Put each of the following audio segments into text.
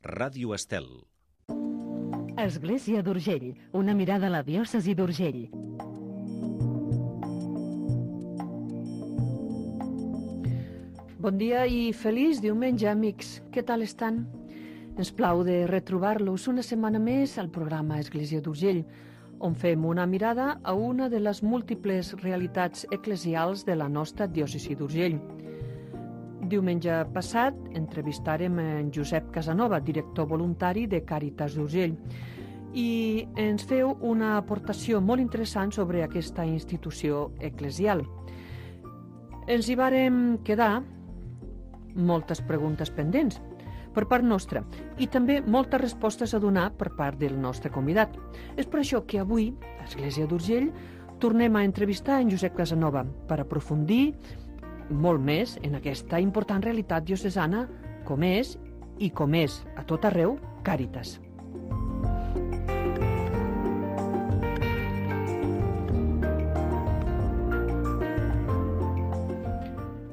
Ràdio Estel. Església d'Urgell, una mirada a la diòcesi d'Urgell. Bon dia i feliç diumenge, amics. Què tal estan? Ens plau de retrobar-los una setmana més al programa Església d'Urgell, on fem una mirada a una de les múltiples realitats eclesials de la nostra diòcesi d'Urgell. Diumenge passat entrevistarem en Josep Casanova, director voluntari de Càritas d'Urgell, i ens feu una aportació molt interessant sobre aquesta institució eclesial. Ens hi vàrem quedar moltes preguntes pendents per part nostra i també moltes respostes a donar per part del nostre convidat. És per això que avui, a l'Església d'Urgell, tornem a entrevistar en Josep Casanova per aprofundir molt més en aquesta important realitat diocesana com és a tot arreu Càritas.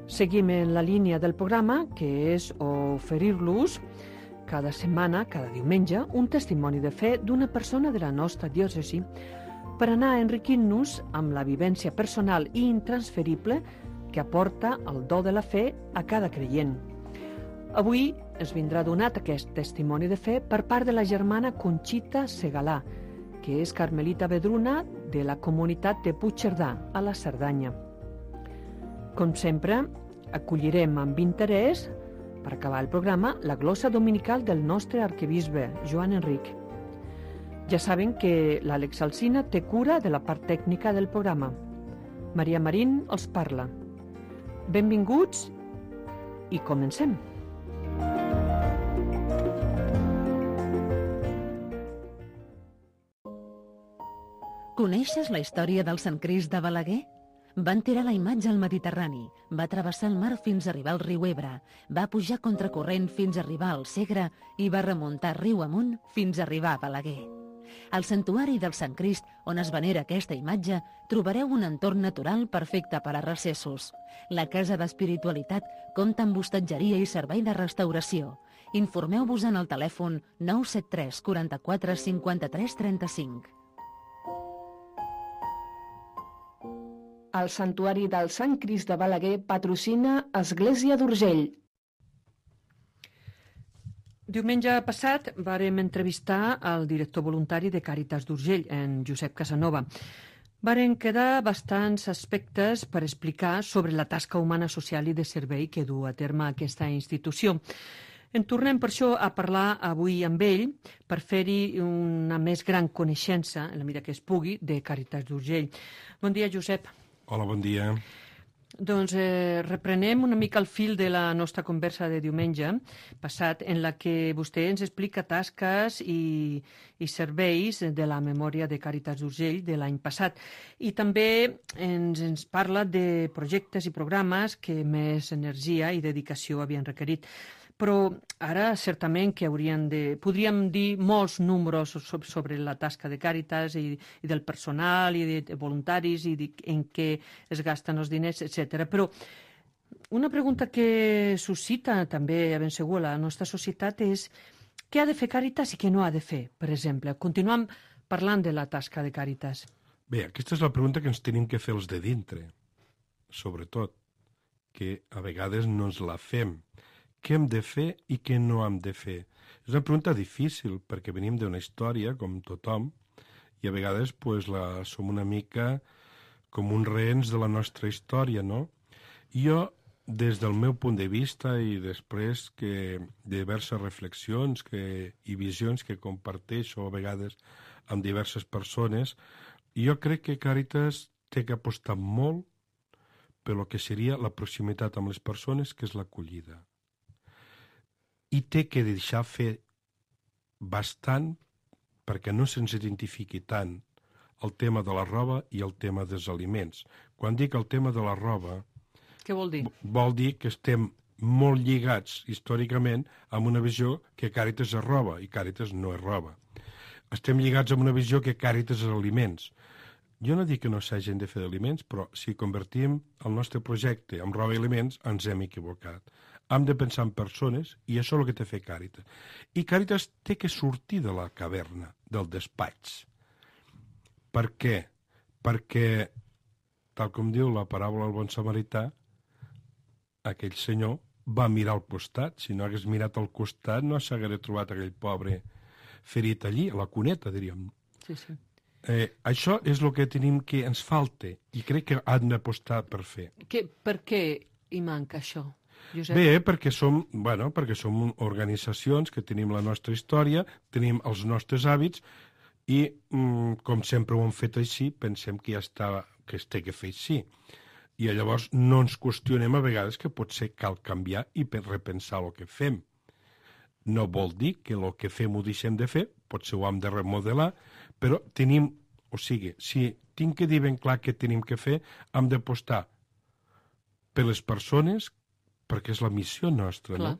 Seguim en la línia del programa, que és oferir-los cada setmana, cada diumenge, un testimoni de fe d'una persona de la nostra diòcesi per anar enriquint-nos amb la vivència personal i intransferible que aporta el do de la fe a cada creient. Avui ens vindrà donat aquest testimoni de fe per part de la germana Conxita Segalà, que és carmelita vedruna de la comunitat de Puigcerdà, a la Cerdanya. Com sempre, acollirem amb interès, per acabar el programa, la glossa dominical del nostre arquebisbe, Joan Enric. Ja saben que l'Àlex Alsina té cura de la part tècnica del programa. Maria Marín els parla. Benvinguts i comencem. Coneixes la història del Sant Crist de Balaguer? Van tirar la imatge al Mediterrani, va travessar el mar fins a arribar al riu Ebre, va pujar contracorrent fins a arribar al Segre i va remuntar riu amunt fins a arribar a Balaguer. Al santuari del Sant Crist, on es venera aquesta imatge, trobareu un entorn natural perfecte per a recessos. La Casa d'Espiritualitat compta amb hostatgeria i servei de restauració. Informeu-vos en el telèfon 973 44 53 35. El Santuari del Sant Crist de Balaguer patrocina Església d'Urgell. Diumenge passat vàrem entrevistar el director voluntari de Càritas d'Urgell, en Josep Casanova. Varen quedar bastants aspectes per explicar sobre la tasca humana, social i de servei que du a terme aquesta institució. En tornem per això a parlar avui amb ell per fer-hi una més gran coneixença, en la mesura que es pugui, de Càritas d'Urgell. Bon dia, Josep. Hola, bon dia. Doncs reprenem una mica el fil de la nostra conversa de diumenge passat, en la que vostè ens explica tasques i serveis de la memòria de Càritas d'Urgell de l'any passat. I també ens parla de projectes i programes que més energia i dedicació havien requerit. Però ara certament que podríem dir molts números sobre la tasca de Càritas i del personal i de voluntaris i en què es gasten els diners, etc. Però una pregunta que suscita també ben segur la nostra societat és què ha de fer Càritas i què no ha de fer, per exemple. Continuem parlant de la tasca de Càritas. Bé, aquesta és la pregunta que ens tenim que fer els de dintre, sobretot, que a vegades no ens la fem. Què hem de fer i què no hem de fer? És una pregunta difícil, perquè venim d'una història, com tothom, i a vegades som una mica com uns rehens de la nostra història, no? Jo, des del meu punt de vista i després que diverses reflexions i visions que comparteixo a vegades amb diverses persones, jo crec que Càritas té que apostar molt per lo que seria la proximitat amb les persones, que és l'acollida. I té que deixar fer bastant perquè no se'ns identifiqui tant el tema de la roba i el tema dels aliments. Quan dic el tema de la roba... Què vol dir? Vol dir que estem molt lligats històricament amb una visió que Càritas és roba i Càritas no és roba. Estem lligats amb una visió que Càritas és aliments. Jo no dic que no s'hagin de fer aliments, però si convertim el nostre projecte en roba i aliments ens hem equivocat. hem de pensar en persones i això és el que té fer Càritas. I Càritas té que sortir de la caverna, del despatx. Per què? Perquè, tal com diu la paràbola del bon samarità, aquell senyor va mirar al costat. Si no hagués mirat al costat, no s'hagués trobat aquell pobre ferit allí, a la cuneta, diríem. Sí, sí. Això és el que tenim que ens falta i crec que han d'apostar per fer. Per què hi manca això, Josep? Bé, perquè som organitzacions que tenim la nostra història, tenim els nostres hàbits i, com sempre ho hem fet així, pensem que ja està, que es té que fer així. I llavors no ens qüestionem a vegades que potser cal canviar i repensar el que fem. No vol dir que el que fem ho deixem de fer, potser ho hem de remodelar, però tenim, o sigui, si tinc que dir ben clar què tenim que fer, hem d'apostar per les persones, perquè és la missió nostra, Clar. no?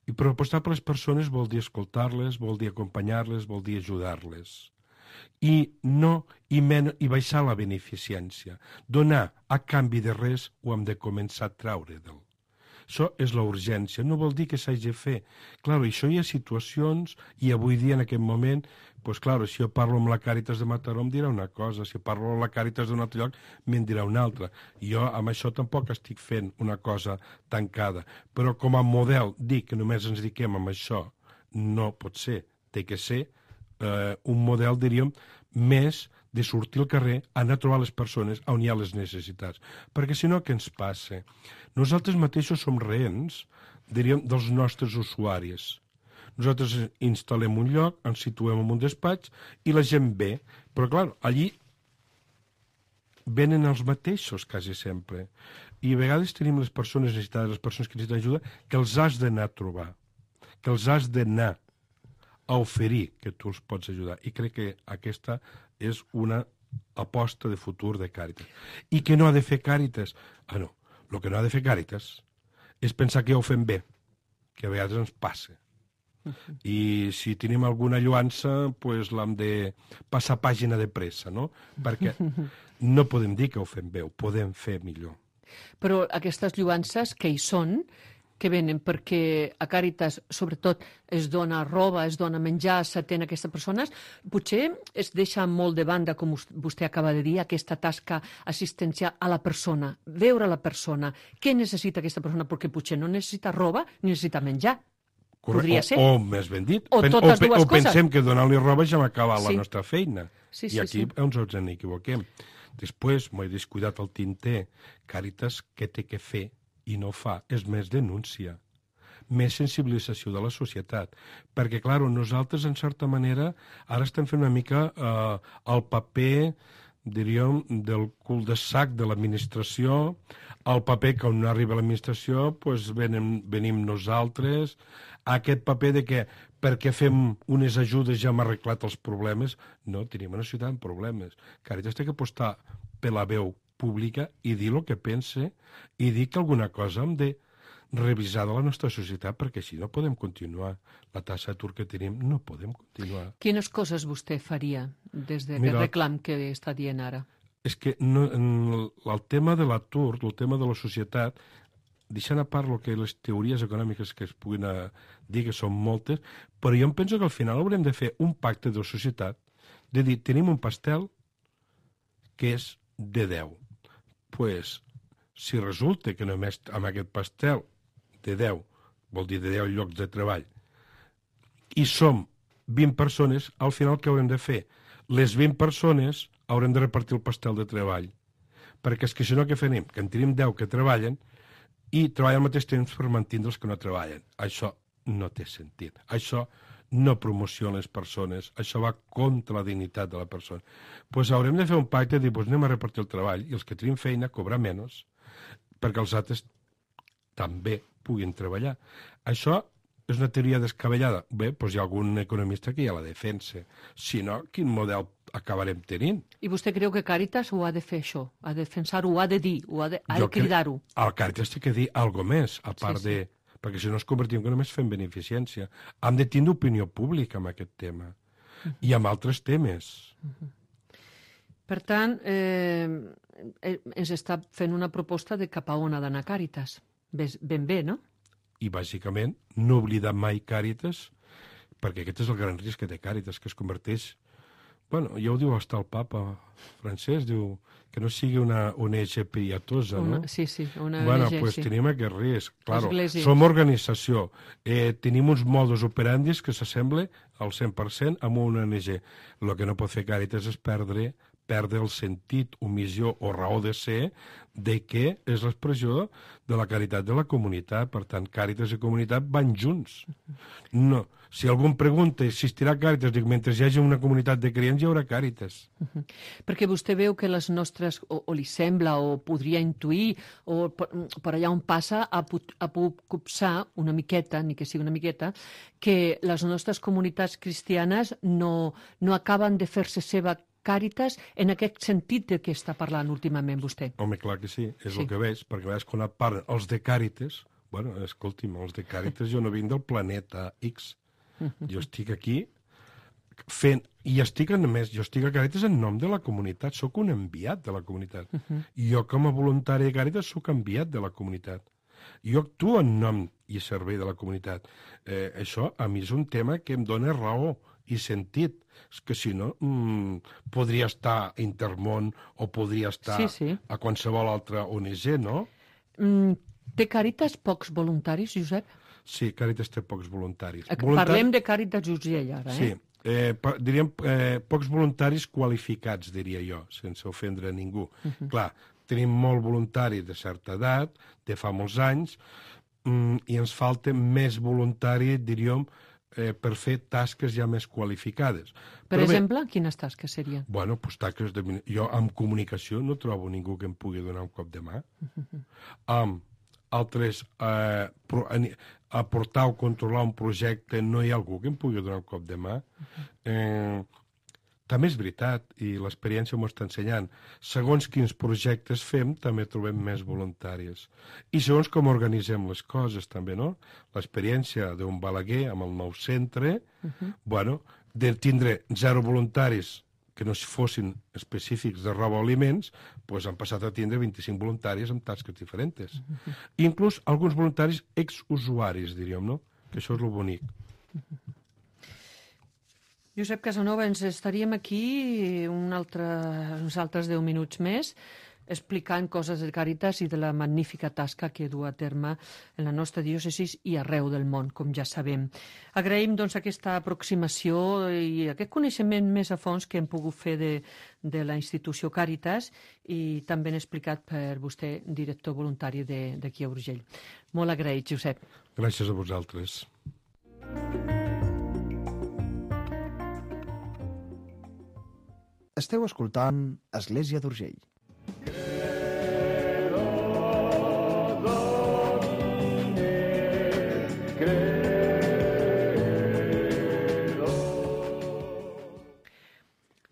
I per apostar per les persones vol dir escoltar-les, vol dir acompanyar-les, vol dir ajudar-les. I baixar la beneficència. Donar a canvi de res ho hem de començar a traure del. Això és la urgència, no vol dir que s'hagi de fer. Clar, això hi ha situacions, i avui dia, en aquest moment, doncs clar, si jo parlo amb la Càritas de Mataró em dirà una cosa, si parlo amb la Càritas d'un altre lloc me'n dirà una altra. Jo amb això tampoc estic fent una cosa tancada. Però com a model, dir que només ens dediquem amb això no pot ser. Té que ser un model, diríem, més de sortir al carrer, anar a trobar les persones on hi ha les necessitats. Perquè si no, què ens passa? Nosaltres mateixos som rehens, diríem, dels nostres usuaris. Nosaltres instal·lem un lloc, ens situem en un despatx i la gent ve. Però, clar, allí venen els mateixos quasi sempre. I a vegades tenim les persones necessitades, les persones que necessiten ajuda, que els has d'anar a trobar, que els has d'anar a oferir que tu els pots ajudar. I crec que aquesta és una aposta de futur de Càritas. I què no ha de fer Càritas? No. El que no ha de fer Càritas és pensar que ja ho fem bé, que a vegades ens passa. I si tenim alguna lluança, doncs l'hem de passar pàgina de pressa, no? Perquè no podem dir que ho fem bé, ho podem fer millor. Però aquestes lluances que hi són, que venen perquè a Càritas, sobretot, es dona roba, es dona menjar, s'atén a aquestes persones, potser es deixa molt de banda, com vostè acaba de dir, aquesta tasca assistencial a la persona, veure la persona, què necessita aquesta persona, perquè potser no necessita roba ni necessita menjar. Podria ser. O més ben dit, o totes dues coses. Pensem que donant-li roba ja hem acabat la nostra feina. Sí, I aquí ens equivoquem. Després, m'ho he descuidat el tinter, Càritas, què té que fer i no fa, és més denúncia, més sensibilització de la societat. Perquè, clar, nosaltres, en certa manera, ara estem fent una mica el paper, diríem, del cul de sac de l'administració, el paper que on no arriba l'administració, doncs venim nosaltres, aquest paper de que perquè fem unes ajudes ja hem arreglat els problemes. No, tenim una societat amb problemes. Càritas té que apostar per la veu pública i dir el que pense i dir que alguna cosa hem de revisar de la nostra societat perquè així no podem continuar. La taxa d'atur que tenim no podem continuar. Quines coses vostè faria des d'aquest reclam que està dient ara? És que el tema de l'atur, el tema de la societat, deixant a part que les teories econòmiques que es puguin dir que són moltes, però jo em penso que al final haurem de fer un pacte de societat, de dir, tenim un pastel que és de 10. Pues, si resulta que només amb aquest pastel de 10, vol dir de 10 llocs de treball, i som 20 persones, al final què haurem de fer? Les 20 persones haurem de repartir el pastel de treball. Perquè és que si no, què farem? Que en tenim 10 que treballen i treballen al mateix temps per mantenir els que no treballen. Això no té sentit. Això no promociona les persones, això va contra la dignitat de la persona. Doncs haurem de fer un pacte i dir, doncs anem a repartir el treball i els que tenim feina cobrar menys perquè els altres també puguin treballar. Això és una teoria descabellada. Bé, doncs hi ha algun economista que ja la defensa. Si no, quin model acabarem tenint? I vostè creu que Càritas ho ha de fer això? Ha de defensar-ho, ho ha de dir, ha de cridar-ho? El Càritas té que dir alguna més, a part de... perquè si no ens convertim que només fem beneficència. Hem de tindre opinió pública amb aquest tema. I amb altres temes. Per tant, ens està fent una proposta de cap a on ha d'anar Càritas. Ben bé, no? I, bàsicament, no oblidar mai Càritas, perquè aquest és el gran risc que té Càritas, que es converteix... Bueno, ja ho diu hasta el papa francès, diu que no sigui una ONG pietosa, no? Sí, una bueno, ONG, pues sí. tenim aquest risc. Claro, Església. som organització. Tenim uns modus operandis que s'assembla al 100% amb una ONG. El que no pot fer Càritas és perdre el sentit, omissió o raó de ser de què és l'expressió de la caritat de la comunitat. Per tant, Càritas i comunitat van junts. No. Si algú em pregunta, existirà Càritas? Dic, mentre hi hagi una comunitat de creients hi haurà Càritas. Perquè vostè veu que les nostres, o li sembla, o podria intuir, o per allà on passa, a copsar una miqueta, ni que sigui una miqueta, que les nostres comunitats cristianes no acaben de fer-se seva Càritas en aquest sentit de què està parlant últimament vostè. Home, clar que sí, és el que veig, perquè a vegades quan et parlen els de Càritas, bueno, escolti'm, els de Càritas jo no vinc del planeta X, jo estic aquí fent, i estic a més, jo estic a Càritas en nom de la comunitat, sóc un enviat de la comunitat. Jo com a voluntari de Càritas sóc enviat de la comunitat. Jo actuo en nom i servei de la comunitat. Això a mi és un tema que em dona raó i sentit. És que si no, podria estar a Intermón o podria estar a qualsevol altra ONG, no? Té Càritas pocs voluntaris, Josep? Sí, Càritas té pocs voluntaris. Parlem de Càritas Urgell, ara, Sí, diríem pocs voluntaris qualificats, diria jo, sense ofendre a ningú. Clar, tenim molt voluntari de certa edat, de fa molts anys, i ens falta més voluntari, diríem, per fer tasques ja més qualificades. Per exemple, quines tasques serien? Bueno, doncs tasques de... Jo amb comunicació no trobo ningú que em pugui donar un cop de mà. Amb altres, aportar o controlar un projecte, no hi ha algú que em pugui donar un cop de mà. També és veritat, i l'experiència m'ho està ensenyant, segons quins projectes fem, també trobem més voluntaris. I segons com organitzem les coses, també, no? L'experiència d'un Balaguer amb el nou centre, bueno, de tindre 0 voluntaris que no fossin específics de roba o aliments, doncs han passat a tindre 25 voluntaris amb tasques diferents. Inclús alguns voluntaris exusuaris, diríem, no? Que això és el bonic. Josep Casanova, ens estaríem aquí uns altres 10 minuts més explicant coses de Càritas i de la magnífica tasca que du a terme en la nostra diòcesi i arreu del món, com ja sabem. Agraïm doncs aquesta aproximació i aquest coneixement més a fons que hem pogut fer de la institució Càritas i també han explicat per vostè, director voluntari d'aquí a Urgell. Molt agraït, Josep. Gràcies a vosaltres. Esteu escoltant Església d'Urgell.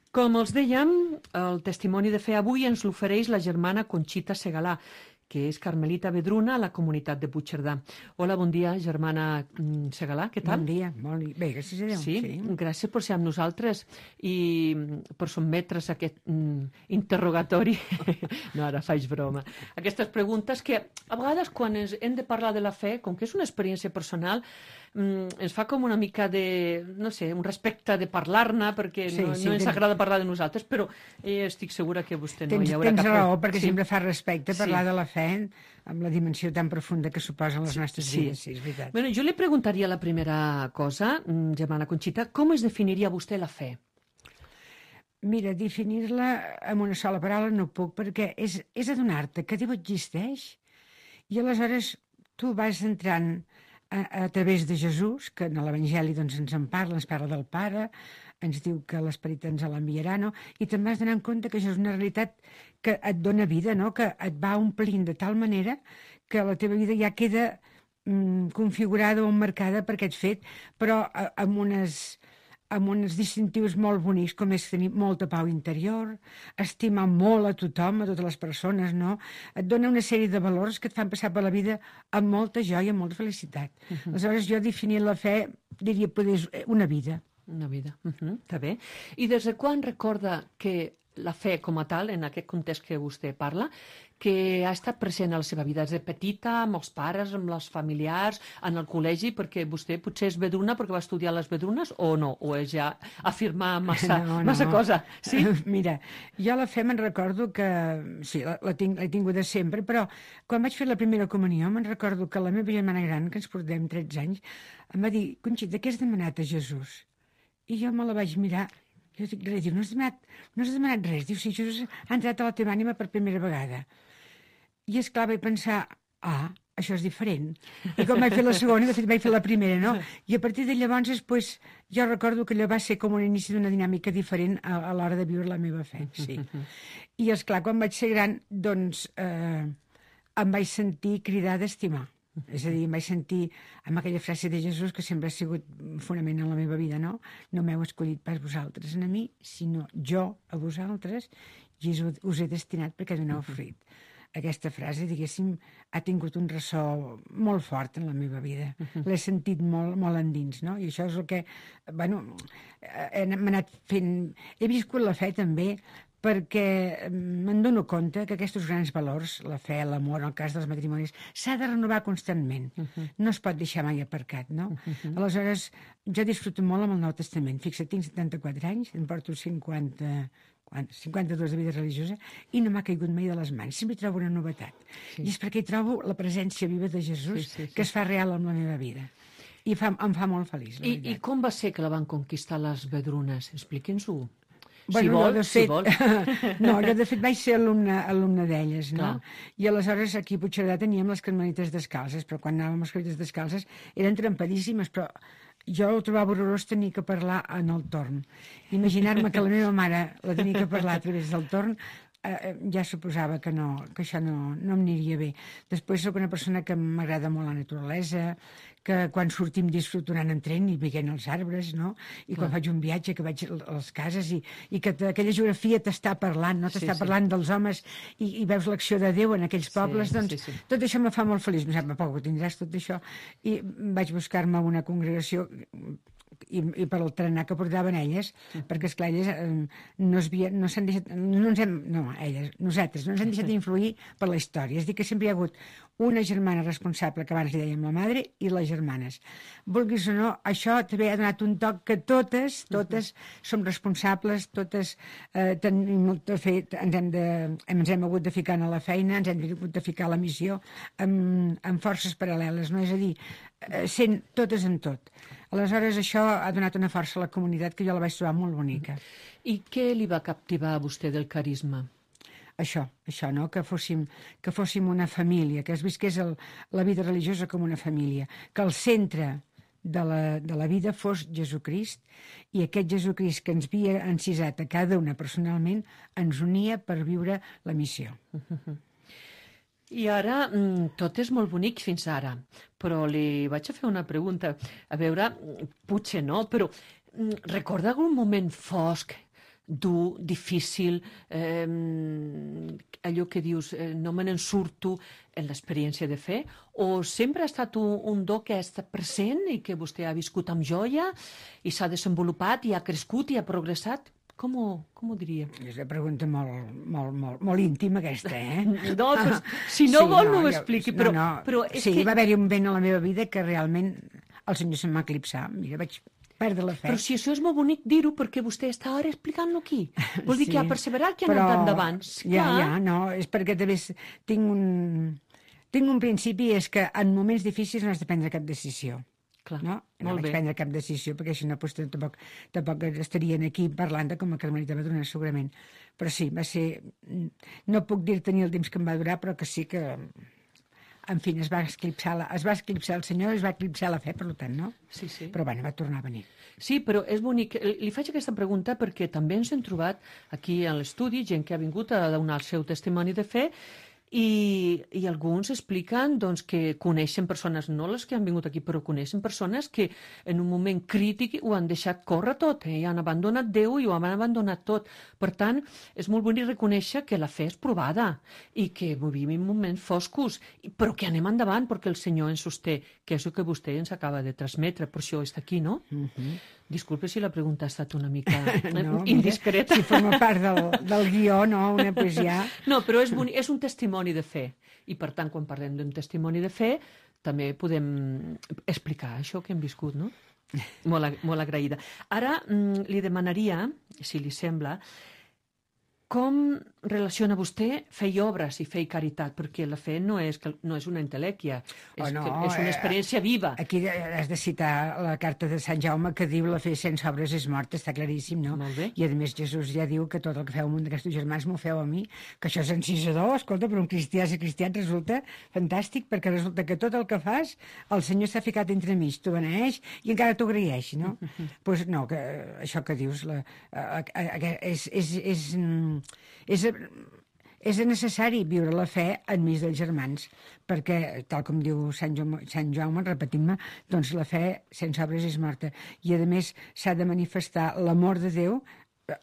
Com els dèiem, el testimoni de fe avui ens l'ofereix la germana Conxita Segalà, que és carmelita vedruna a la comunitat de Puigcerdà. Hola, bon dia, germana Segalà, què tal? Bon dia, molt bé. Bé, gràcies a Déu. Sí, gràcies per ser amb nosaltres i per sotmetre's a aquest interrogatori. No, ara faig broma. Aquestes preguntes que a vegades quan hem de parlar de la fe, com que és una experiència personal, ens fa com una mica de, no sé, un respecte de parlar-ne, perquè no ens agrada parlar de nosaltres, però estic segura que vostè no hi haurà cap... Tens raó, perquè sempre fa respecte parlar de la fe amb la dimensió tan profunda que suposen les nostres vides, sí, és veritat. Bueno, jo li preguntaria la primera cosa, germana Conxita, com es definiria vostè la fe? Mira, definir-la amb una sola paraula no puc, perquè és adonar-te que Déu existeix i aleshores tu vas entrant a través de Jesús, que en l'Evangeli doncs, ens en parla, ens parla del Pare, ens diu que l'Esperit ens l'enviarà, no? I te'n vas donant compte que això és una realitat que et dona vida, no? Que et va omplint de tal manera que la teva vida ja queda configurada o emmarcada per aquest fet, però amb uns distintius molt bonics, com és tenir molta pau interior, estimar molt a tothom, a totes les persones, no? Et dona una sèrie de valors que et fan passar per la vida amb molta joia, amb molta felicitat. Aleshores, jo definir la fe, diria, poder una vida. Una vida, està bé. I des de quan recorda que la fe com a tal, en aquest context que vostè parla, que ha estat present a la seva vida des de petita, amb els pares, amb els familiars, en el col·legi, perquè vostè potser és vedruna perquè va estudiar les vedrunes, o no? O és ja afirmar massa cosa? Sí? Mira, jo la fe me'n recordo que... Sí, l'he tingut de sempre, però quan vaig fer la primera comunió me'n recordo que la meva germana gran, que ens portem 13 anys, em va dir: Conxita, què has demanat a Jesús? I jo me la vaig mirar. Jo dic, res, diu, no has demanat res. Diu, sí, Jesús ha entrat a la teva ànima per primera vegada. I esclar, vaig pensar, això és diferent. I com vaig fer la segona, de fet vaig fer la primera, no? I a partir de llavors, pues, jo recordo que allò va ser com un inici d'una dinàmica diferent a l'hora de viure la meva fe, sí. I esclar, quan vaig ser gran, doncs, em vaig sentir cridar d'estimar. És a dir, em vaig sentir amb aquella frase de Jesús que sempre ha sigut fonament en la meva vida, no? No m'heu escollit pas vosaltres a mi, sinó jo a vosaltres, i us he destinat perquè doneu fruit. Aquesta frase, diguéssim, ha tingut un ressò molt fort en la meva vida. L'he sentit molt, molt endins, no? I això és el que, bueno, m'ha anat fent... He viscut la fe també perquè me'n dono compte que aquests grans valors, la fe, l'amor, en el cas dels matrimonis, s'ha de renovar constantment. No es pot deixar mai aparcat, no? Aleshores, jo disfruto molt amb el Nou Testament. Fixa't, tinc 74 anys, em porto 52 de vida religiosa i no m'ha caigut mai de les mans. Sempre trobo una novetat. Sí. I és perquè hi trobo la presència viva de Jesús que es fa real en la meva vida. I em fa molt feliç, la veritat. I com va ser que la van conquistar les vedrunes? Expliqui'ns-ho. Bueno, si vol. No, jo de fet vaig ser alumne d'elles, no? I aleshores aquí a Puigcerdà teníem les carmelites descalces, però quan anàvem a les carmelites descalces eren trempadíssimes, però jo ho trobava horrorós tenir que parlar en el torn. Imaginar-me que la meva mare la tenia que parlar a través del torn, ja suposava que això no em aniria bé. Després sóc una persona que m'agrada molt la naturalesa, que quan sortim disfruto anant en tren i veient els arbres, no? I quan faig un viatge, que vaig a les cases i que aquella geografia t'està parlant, no? T'està parlant dels homes i veus l'acció de Déu en aquells pobles, doncs tot això me fa molt feliç. Em sembla, poc ho tindràs tot això. I vaig buscar-me una congregació i per el trenar que portaven elles, perquè esclar, elles nosaltres no ens hem deixat d'influir per la història. És a dir, que sempre hi ha hagut una germana responsable, que abans li dèiem la madre, i les germanes. Vulguis o no, això també ha donat un toc que totes som responsables, totes tenim molt a fer, ens hem hagut de ficar a la feina, ens hem hagut de ficar a la missió, amb forces paral·leles, no? És a dir, sent totes en tot. Aleshores, això ha donat una força a la comunitat que jo la vaig trobar molt bonica. I què li va captivar a vostè del carisma? Això, no? Que fóssim una família, que es visqués la vida religiosa com una família, que el centre de la vida fos Jesucrist, i aquest Jesucrist que ens havia encisat a cada una personalment ens unia per viure la missió. I ara, tot és molt bonic fins ara, però li vaig a fer una pregunta. A veure, potser no, però recorda algun moment fosc, dur, difícil, allò que dius, no me n'en surto en l'experiència de fe? O sempre ha estat un do que ha estat present i que vostè ha viscut amb joia i s'ha desenvolupat i ha crescut i ha progressat? Com ho diria? És una pregunta molt íntima, aquesta, No, doncs, si no vol no ho expliqui, però és que... Sí, va haver-hi un moment a la meva vida que realment el Senyor se'm va eclipsar. Mira, vaig perdre la fe. Però si això és molt bonic dir-ho, perquè vostè està ara explicant-lo aquí. Vol dir que ha perseverat, que ha anat endavant. No, és perquè també tinc un principi, és que en moments difícils no has de prendre cap decisió. Clar, no vaig prendre cap decisió, perquè si no tampoc estarien aquí parlant de com a carmelita vedruna, segurament. Però sí, va ser... No puc dir-te ni el temps que em va durar, però que sí que... En fi, es va eclipsar el Senyor, es va eclipsar la fe, per tant, no? Sí. Però bueno, va tornar a venir. Sí, però és bonic. Li faig aquesta pregunta perquè també ens hem trobat aquí a l'estudi gent que ha vingut a donar el seu testimoni de fe i alguns expliquen doncs, que coneixen persones, no les que han vingut aquí, però coneixen persones que en un moment crític ho han deixat córrer tot, i han abandonat Déu i ho han abandonat tot. Per tant, és molt bonic reconèixer que la fe és provada i que vivim en moments foscos, però que anem endavant perquè el Senyor ens sosté, que és el que vostè ens acaba de transmetre, per això està aquí, no? Disculpe si la pregunta ha estat una mica No, indiscreta. Si forma part del guió, no? Una poesia... No, però és un testimoni de fe. I, per tant, quan parlem d'un testimoni de fe, també podem explicar això que hem viscut, no? Molt agraïda. Ara li demanaria, si li sembla, com relaciona vostè fer obres i fer caritat? Perquè la fe no és una entelèquia, és una experiència viva. Aquí has de citar la carta de Sant Jaume que diu la fe sense obres és morta, està claríssim, no? Molt bé. I a més Jesús ja diu que tot el que feu a un d'aquests germans m'ho feu a mi, que això és encisador, escolta, per un cristià ser cristià resulta fantàstic, perquè resulta que tot el que fas el Senyor s'ha ficat entremig, t'ho beneeix i encara t'ho agraeix, no? Doncs no, que això que dius és necessari viure la fe enmig dels germans, perquè, tal com diu Sant Jaume, repetint-me, doncs la fe sense obres és morta. I, a més, s'ha de manifestar l'amor de Déu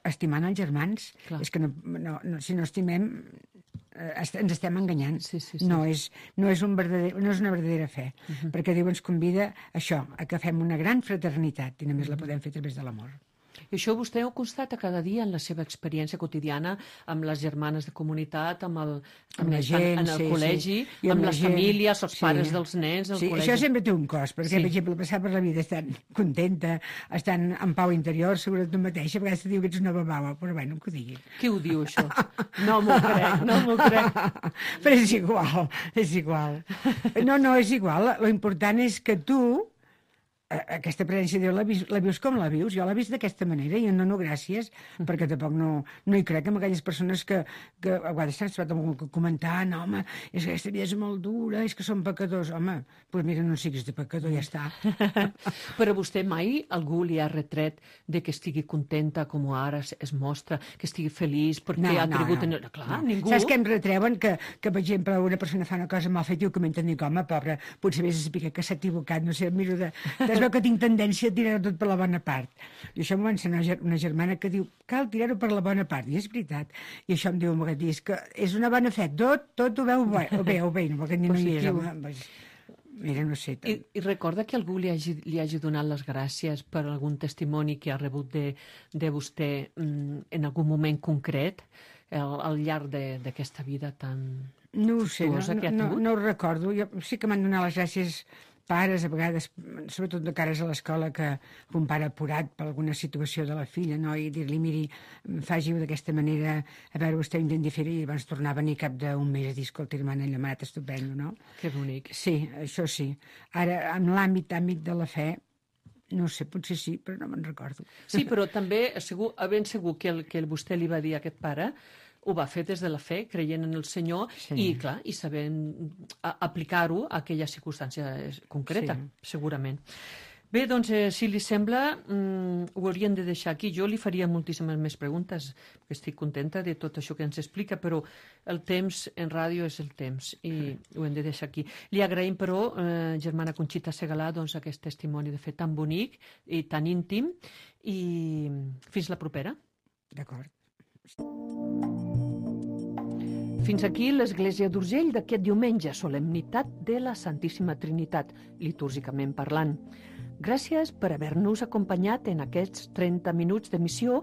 estimant els germans. Clar. És que si no estimem, ens estem enganyant. Sí. No és una verdadera fe, perquè Déu ens convida a això, a que fem una gran fraternitat, i només la podem fer a través de l'amor. I això vostè ho constata cada dia en la seva experiència quotidiana amb les germanes de comunitat, amb la gent, en el col·legi, amb les famílies, els pares dels nens, el col·legi. Això sempre té un cost, perquè, per exemple, passar per la vida estant contenta, estant en pau interior, segura tu mateixa, a vegades te diu que ets una babava, però bueno, que ho digui. Qui ho diu, això? No m'ho crec. Però és igual. No, és igual. Lo important és que tu aquesta presència de Déu la vius com la vius. Jo l'he vist d'aquesta manera i em dono gràcies, perquè tampoc no hi crec amb aquelles persones que a vegades s'han trobat amb algú comentant, home, és que aquesta vida és molt dura, és que són pecadors. Home, doncs mira, no siguis de pecador, ja està. Però vostè mai algú li ha retret de que estigui contenta com ara es mostra, que estigui feliç perquè ha cregut en... Clar, ningú... Saps que em retreuen que, per exemple, una persona fa una cosa mal feta i ho comenten, dic, home, pobre, potser vés a saber que s'ha equivocat, no sé, miro de... Es veu que tinc tendència a tirar-ho tot per la bona part. I això m'ho va ensenyar una germana que diu, cal tirar-ho per la bona part. I és veritat. I això em diu un vegada, és que és una bona fe. Tot ho veu bé, no, perquè ni no hi és, home. Mira, no sé. I recorda que algú li hagi donat les gràcies per algun testimoni que ha rebut de vostè en algun moment concret al llarg d'aquesta vida tan... No ho sé, no ho recordo. Jo sí que m'han donat les gràcies pares, a vegades, sobretot de cares a l'escola, que un pare apurat per alguna situació de la filla, no? I dir-li, miri, faci-ho d'aquesta manera, a veure, vostè ho intenti fer, i abans tornar a venir cap d'un mes a dir, escolta, hermana, allò m'ha anat estupendo, no? Que bonic. Sí, això sí. Ara, en l'àmbit de la fe, no sé, potser sí, però no me'n recordo. Sí, però també ben segur que el que vostè li va dir a aquest pare ho va fer des de la fe, creient en el Senyor, i, clar, i sabent aplicar-ho a aquella circumstància concreta, segurament. Bé, doncs, si li sembla, ho hauríem de deixar aquí. Jo li faria moltíssimes més preguntes, perquè estic contenta de tot això que ens explica, però el temps en ràdio és el temps, i ho hem de deixar aquí. Li agraïm, però, germana Conxita Segalà, doncs, aquest testimoni de fe tan bonic i tan íntim, i fins la propera. D'acord. Fins aquí l'Església d'Urgell d'aquest diumenge, solemnitat de la Santíssima Trinitat, litúrgicament parlant. Gràcies per haver-nos acompanyat en aquests 30 minuts d'emissió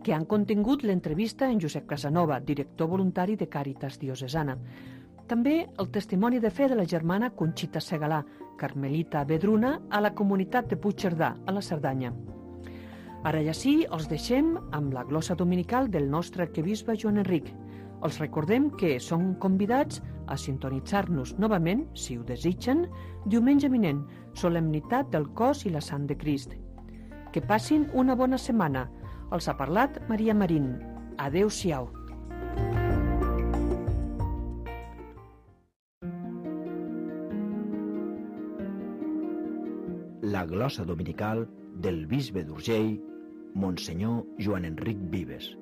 que han contingut l'entrevista en Josep Casanova, director voluntari de Càritas Diocesana. També el testimoni de fe de la germana Conxita Segalà, carmelita vedruna, a la comunitat de Puigcerdà, a la Cerdanya. Ara ja sí, els deixem amb la glossa dominical del nostre arquebisbe Joan Enric. Els recordem que són convidats a sintonitzar-nos novament, si ho desitgen, diumenge vinent, solemnitat del cos i la sang de Crist. Que passin una bona setmana. Els ha parlat Maria Marín. Adéu-siau. La glossa dominical del bisbe d'Urgell, Monsenyor Joan Enric Vives.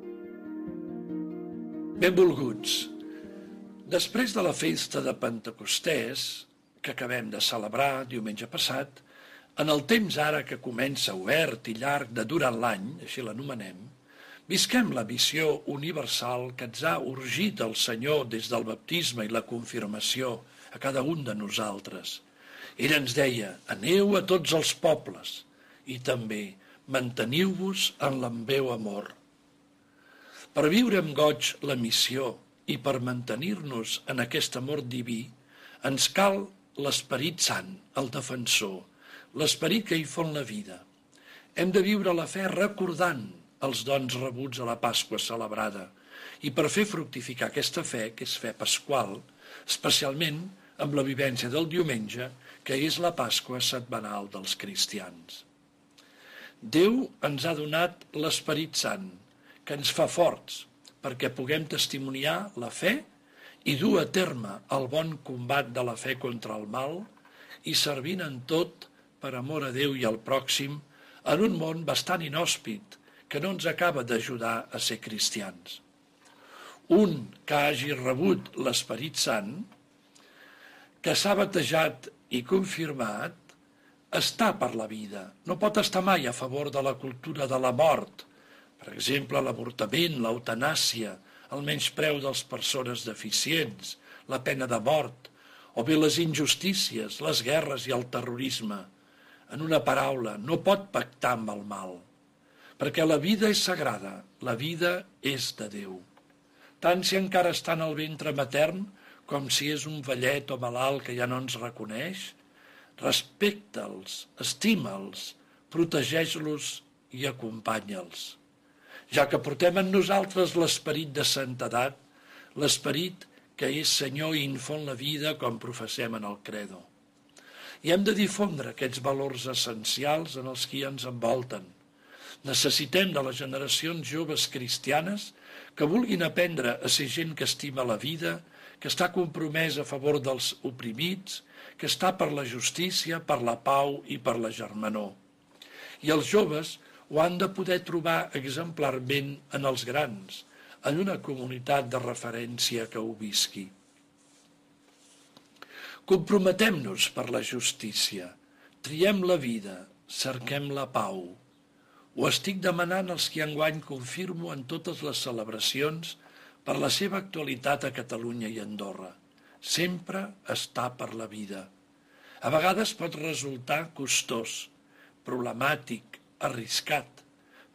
Benvolguts. Després de la festa de Pentecostès, que acabem de celebrar diumenge passat, en el temps ara que comença obert i llarg de durant l'any, així l'anomenem, visquem la missió universal que ens ha urgit el Senyor des del baptisme i la confirmació a cada un de nosaltres. Ell ens deia, aneu a tots els pobles, i també manteniu-vos en l'ambeu amor. Per viure amb goig la missió i per mantenir-nos en aquest amor diví, ens cal l'Esperit Sant, el defensor, l'esperit que hi fon la vida. Hem de viure la fe recordant els dons rebuts a la Pasqua celebrada i per fer fructificar aquesta fe, que és fe pasqual, especialment amb la vivència del diumenge, que és la Pasqua setmanal dels cristians. Déu ens ha donat l'Esperit Sant, que ens fa forts perquè puguem testimoniar la fe i dur a terme el bon combat de la fe contra el mal i servint en tot per amor a Déu i al pròxim en un món bastant inhòspit que no ens acaba d'ajudar a ser cristians. Un que hagi rebut l'Esperit Sant, que s'ha batejat i confirmat, està per la vida, no pot estar mai a favor de la cultura de la mort, per exemple, l'avortament, l'eutanàsia, el menyspreu de les persones deficients, la pena de mort, o bé les injustícies, les guerres i el terrorisme. En una paraula, no pot pactar amb el mal, perquè la vida és sagrada, la vida és de Déu. Tant si encara està en el ventre matern com si és un vellet o malalt que ja no ens reconeix, respecta'ls, estima'ls, protegeix-los i acompanya'ls. Ja que portem en nosaltres l'esperit de santedat, l'esperit que és Senyor i infon la vida com professem en el credo. I hem de difondre aquests valors essencials en els qui ens envolten. Necessitem de les generacions joves cristianes que vulguin aprendre a ser gent que estima la vida, que està compromesa a favor dels oprimits, que està per la justícia, per la pau i per la germanor. I els joves ho han de poder trobar exemplarment en els grans, en una comunitat de referència que ho visqui. Comprometem-nos per la justícia, triem la vida, cerquem la pau. Ho estic demanant als qui enguany confirmo en totes les celebracions per la seva actualitat a Catalunya i Andorra. Sempre està per la vida. A vegades pot resultar costós, problemàtic, arriscat,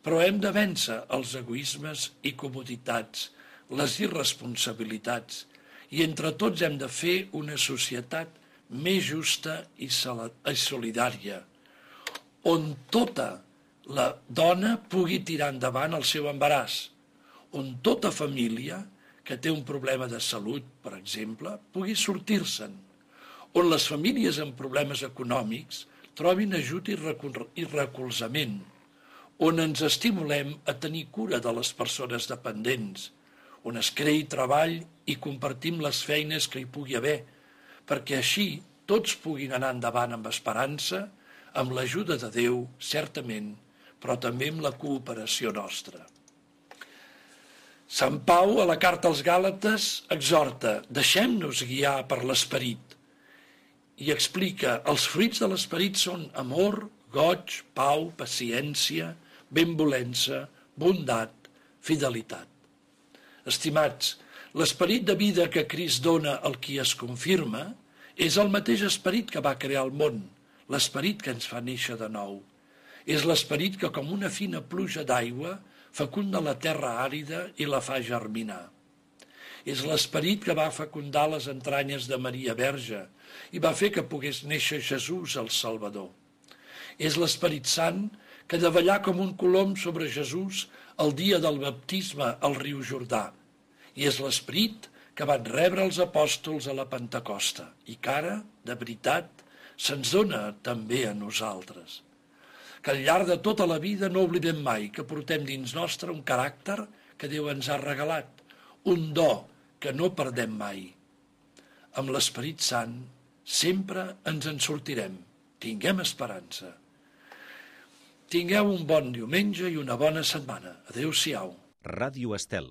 però hem de vèncer els egoismes i comoditats, les irresponsabilitats, i entre tots hem de fer una societat més justa i solidària, on tota la dona pugui tirar endavant el seu embaràs, on tota família que té un problema de salut, per exemple, pugui sortir-se'n, on les famílies amb problemes econòmics trobin ajut i recolzament, on ens estimulem a tenir cura de les persones dependents, on es creï treball i compartim les feines que hi pugui haver, perquè així tots puguin anar endavant amb esperança, amb l'ajuda de Déu, certament, però també amb la cooperació nostra. Sant Pau, a la carta als Gàlates, exhorta: deixem-nos guiar per l'esperit, i explica: els fruits de l'esperit són amor, goig, pau, paciència, benvolença, bondat, fidelitat. Estimats, l'esperit de vida que Crist dona al qui es confirma és el mateix esperit que va crear el món, l'esperit que ens fa néixer de nou. És l'esperit que, com una fina pluja d'aigua, fecunda la terra àrida i la fa germinar. És l'esperit que va fecundar les entranyes de Maria Verge i va fer que pogués néixer Jesús, el Salvador. És l'Esperit Sant que ha de ballar com un colom sobre Jesús el dia del baptisme al riu Jordà. I és l'esperit que van rebre els apòstols a la Pentecosta i que ara, de veritat, se'ns dona també a nosaltres. Que al llarg de tota la vida no oblidem mai que portem dins nostre un caràcter que Déu ens ha regalat, un do que no perdem mai. Amb l'Esperit Sant sempre ens en sortirem. Tinguem esperança. Tingueu un bon diumenge i una bona setmana. Adéu-siau. Ràdio Estel.